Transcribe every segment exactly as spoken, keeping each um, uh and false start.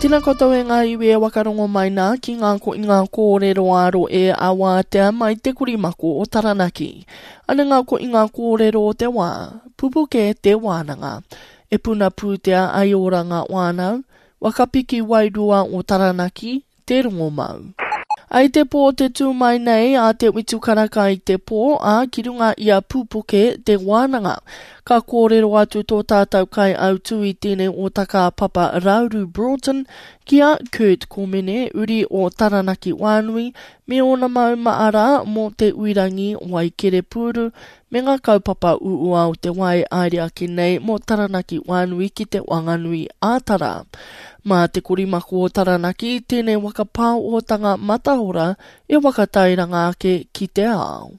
Tēnā koutou e ngā iwi e wakarongo mai nā ki ngā ko i ngā kōrero āro e a wātea mai te korimako o Taranaki. Ana ngā ko i ngā kōrero o te wā, pupuke te wānanga. E puna pūtea ai ora ngā wānau, wakapiki wairua o Taranaki, te rongomau. Ai te pō te tū mai nei a te witu karaka i te pō, a ki runga i a Pupuke te wānanga. Ka kōrero atu tō tātou kai autu i tēnei o taka papa Rauru Broughton ki a Kurt Komene, uri o Taranaki Wānui, me ōna mau maara mō te uirangi Waikerepūru me ngā kaupapa uua o te wai aere ake nei mō Taranaki Wānui ki te Wanganui ā-Tara. Mā te korimako o Taranaki, tēnei waka pāotanga matahora e wakatairanga ake ki te ao.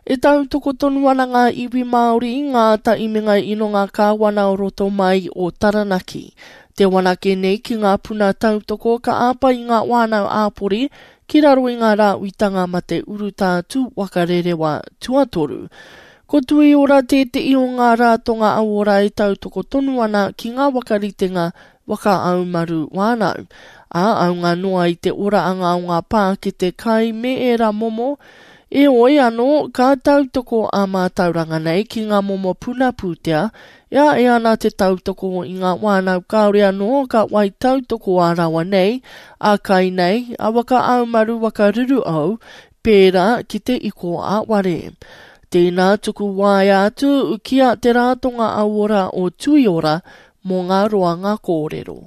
E tautoko tonu ana ngā iwi Māori, ngā taimenga ino ngā kāwana o roto mai o Taranaki. Te wanake nei ki ngā puna tautoko ka āpai i ngā wānau āpori ki raro i ngā rāuitanga ma te urutā tū wakarerewa tuatoru. Ko tui ora tētehi o ngā rātonga auora e tautoko tonu ana ki ngā wakaritenga waka aumaru wānau. Ā, aunga noa i te ora anga o ngā pākete kai me ērā momo, e oi anō ka tautoko a mātauranga nei ki ngā momo puna pūtea, e a e ana te tautoko i ngā wānau kāore anō ka wai tautoko a rawa nei, a kai nei, a waka aumaru waka ruru au, pērā ki te iko a ware. Tēnā tuku waea atu ki a te rātonga auora o Tuiora mō ngā roanga kōrero.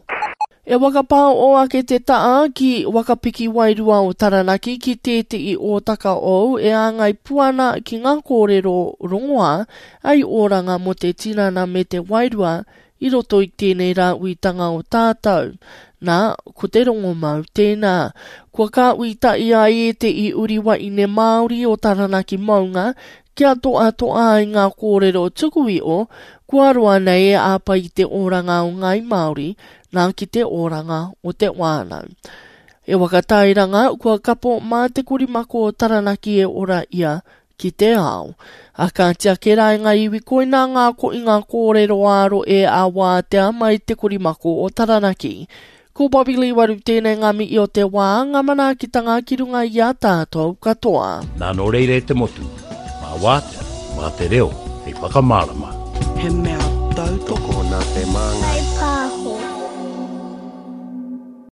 E wakapao o ake te taa ki wakapiki wairua o Taranaki ki tētehi o taka ou e āngai puana ki ngā kōrero rongoā ai oranga mō te tinana me te wairua i roto i tēnei rā uitanga o tātou. Nā, ko te rongomau tēnā. Kua ka uita i a e te i uri waine Māori o Taranaki maunga, kia toa toa ai ngā kōrero tuku iho, kua roa nei e āpai i te oranga o Ngāi Māori, nā ki te oranga o te wānau. E wakatairanga, kua kapo mā te korimako o Taranaki e ora ia ki te ao. A ka tiake rā i ngā iwi koina ngā ko i ngā kōrero āro e a wātea mai te korimako o Taranaki. Ko Bobby Lee Waru tēnei ngā mihi o te wā, ngā manaakitanga ki runga i a tātou katoa. Nā nō reira e te motu, mā wātea, mā te reo, hei whakamārama. He mea tautoko Tokona te māngai.